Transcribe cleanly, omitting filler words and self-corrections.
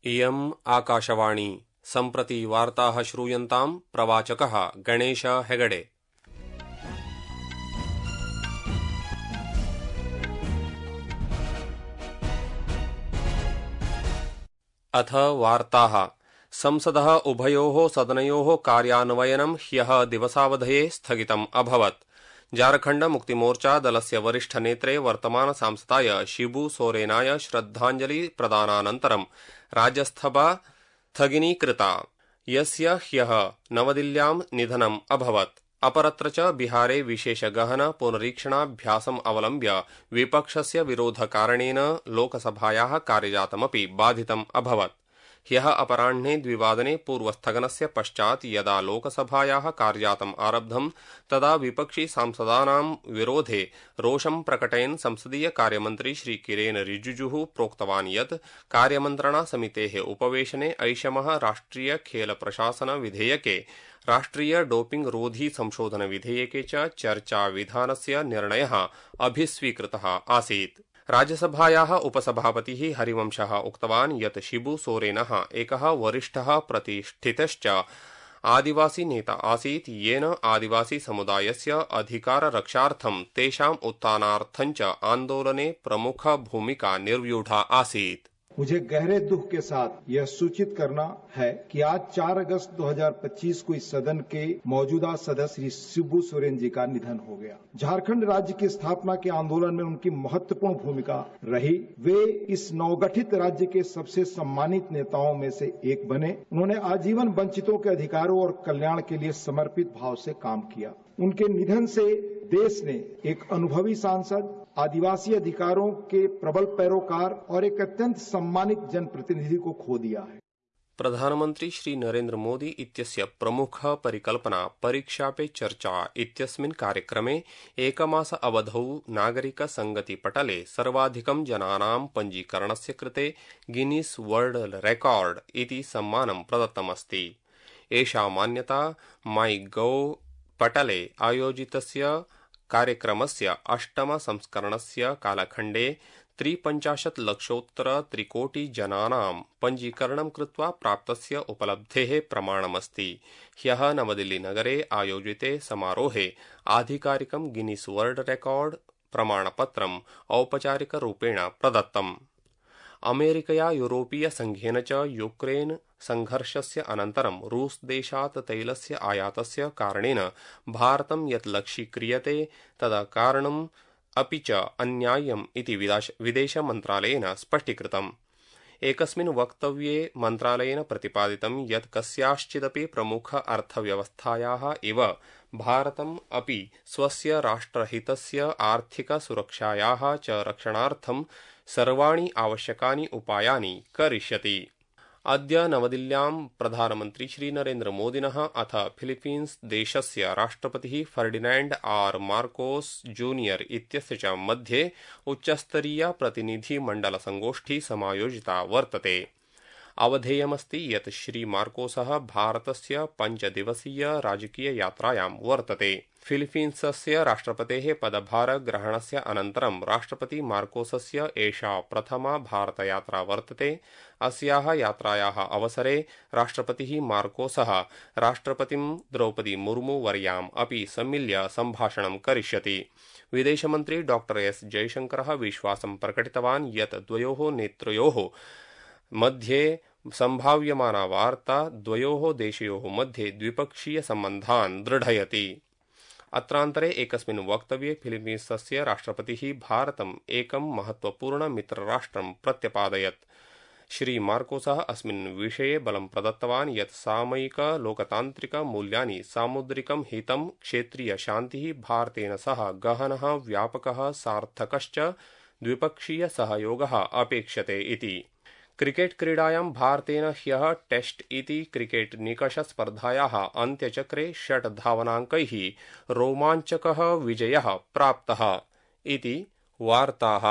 इयम् आकाशवाणी सम्प्रति वार्ताः श्रूयन्ताम् प्रवाचकः गणेश हेगडे। अथ वार्ताः। संसदः उभयोः सदनयोः कार्यान्वयनं ह्यः दिवसावधये स्थगितम् अभवत्। झारखण्ड मुक्तिमोर्चा दलस्य वरिष्ठनेत्रे वर्तमान सांसदाय शिबू सोरेनाय श्रद्धाञ्जलि प्रदानानन्तरं राज्यसभा स्थगिनीकृता, यस्य ह्यः नवदिल्ल्यां निधनम् अभवत्। अपरत्र च बिहारे विशेषगहन पुनरीक्षणाभ्यासम् अवलम्ब्य विपक्षस्य विरोधकारणेन लोकसभायाः कार्यजातमपि बाधितम् अभवत्। ह्यः अपराह्ने 2 पूर्वस्थगनस्य पश्चात् यदा लोकसभायाः कार्यजातम् आरब्धम् तदा विपक्षी सांसदानां विरोधे रोषं प्रकटयन् संसदीय कार्यमन्त्री श्री किरेन रिजिजुः प्रोक्तवान् यत् कार्यमन्त्रणा समितेः उपवेशने ऐषमः राष्ट्रिय खेल प्रशासन विधेयके, राष्ट्रिय डोपिंग रोधी संशोधन विधेयके च चर्चा विधानस्य निर्णयः अभिस्वीकृतः आसीत्। राज्यसभायाः उपसभापतिः हरिवंशः उक्तवान् यत् शिबू सोरेनः एकः वरिष्ठः प्रतिष्ठितश्च आदिवासी नेता आसीत्, येन आदिवासी समुदायस्य अधिकाररक्षार्थं तेषाम् उत्थानार्थं च आन्दोलने प्रमुख भूमिका निर्व्यूढा आसीत्। मुझे गहरे दुख के साथ यह सूचित करना है कि आज 4 अगस्त 2025 को इस सदन के मौजूदा सदस्य श्री शिबू सोरेन जी का निधन हो गया। झारखंड राज्य की स्थापना के आंदोलन में उनकी महत्वपूर्ण भूमिका रही। वे इस नवगठित राज्य के सबसे सम्मानित नेताओं में से एक बने। उन्होंने आजीवन वंचितों के अधिकारों और कल्याण के लिए समर्पित भाव से काम किया। उनके निधन से देश ने एक अनुभवी सांसद, आदिवासी अधिकारों के प्रबल पैरोकार और एक अत्यंत सम्मानित जनप्रतिनिधि को खो दिया है। प्रधानमंत्री श्री नरेन्द्र मोदी इत्यस्य प्रमुख परिकल्पना परीक्षा पे चर्चा इत्यस्मिन् कार्यक्रमे एकमास अवधौ नागरिक संगति पटले सर्वाधिकं जनानां पञ्जीकरणस्य कृते गिनीस् वर्ल्ड रेकॉर्ड इति सम्मानं प्रदत्तमस्ति। एषा मान्यता माईगोव पटले आयोजितस्य कार्यक्रमस्य 8म संस्करणस्य कालखण्डे 53 लक्षोत्तर 3 कोटि जनानां पञ्जीकरणं कृत्वा प्राप्तस्य उपलब्धेः प्रमाणमस्ति। ह्यः नवदिल्लीनगरे आयोजिते समारोहे आधिकारिकं गिनीस् वर्ल्ड रेकॉर्ड प्रमाणपत्रम् औपचारिकरूपेण प्रदत्तम्। अमेरिकया यूरोपीय संघेन च यूक्रेन संघर्षस्य अनन्तरं रूस देशात् तैलस्य आयातस्य कारणेन भारतं यत् लक्ष्यीक्रियते तदकारणम् अपि च अन्याय्यम् इति विदेशमन्त्रालयेन स्पष्टीकृतम्। एकस्मिन् वक्तव्ये मन्त्रालयेन प्रतिपादितं यत् कस्याश्चिदपि प्रमुख अर्थव्यवस्थायाः इव भारतम् अपि स्वस्य राष्ट्रहितस्य आर्थिक सुरक्षायाः च रक्षणार्थं सर्वाणि आवश्यकानि उपायानि करिष्यति। अद्य नवदिल्ल्यां प्रधानमन्त्री श्री नरेन्द्र मोदिनः अथ फिलीपीन्स् देशस्य राष्ट्रपतिः फर्डिनैण्ड आर मार्कोस जूनियर इत्यस्य च मध्ये उच्चस्तरीया प्रतिनिधिमण्डलसङ्गोष्ठी समायोजिता वर्तते। अवधेयमस्ति यत् श्री मार्कोसः भारतस्य 5 दिवसीय राजकीय यात्रायां वर्तते। फिलीपीन्सस्य राष्ट्रपतेः पदभारग्रहणस्य अनन्तरं राष्ट्रपति मार्कोसस्य एषा प्रथमा भारतयात्रा वर्तते। अस्याः यात्रायाः अवसरे राष्ट्रपतिः मार्कोसः राष्ट्रपतिं द्रौपदी मुर्मू वर्याम् अपि सम्मिल्य सम्भाषणं करिष्यति। विदेशमन्त्री डॉ एस जयशंकरः विश्वासं प्रकटितवान् यत् द्वयोः नेतृयोः मध्ये सम्भाव्यमाना वार्ता द्वयोः देशयोः मध्ये द्विपक्षीय सम्बन्धान् दृढयति। अत्रान्तरे एकस्मिन् वक्तव्ये फिलीपीन्सस्य राष्ट्रपतिः भारतम् एकं महत्वपूर्ण मित्रराष्ट्रं प्रत्यपादयत्। श्री मार्कोसः अस्मिन् विषये बलं प्रदत्तवान् यत् सामयिक लोकतान्त्रिक मूल्यानि, सामुद्रिकं हितं, क्षेत्रीय शान्तिः भारतेन सह गहनः व्यापकः सार्थकश्च द्विपक्षीय सहयोगः अपेक्षते इति। क्रिकेट क्रीडायां भारतेन ह्यः टेस्ट इति क्रिकेट निकषस्पर्धायाः अन्त्यचक्रे 6 धावनाङ्कैः रोमाञ्चकः विजयः प्राप्तः इति वार्ताः।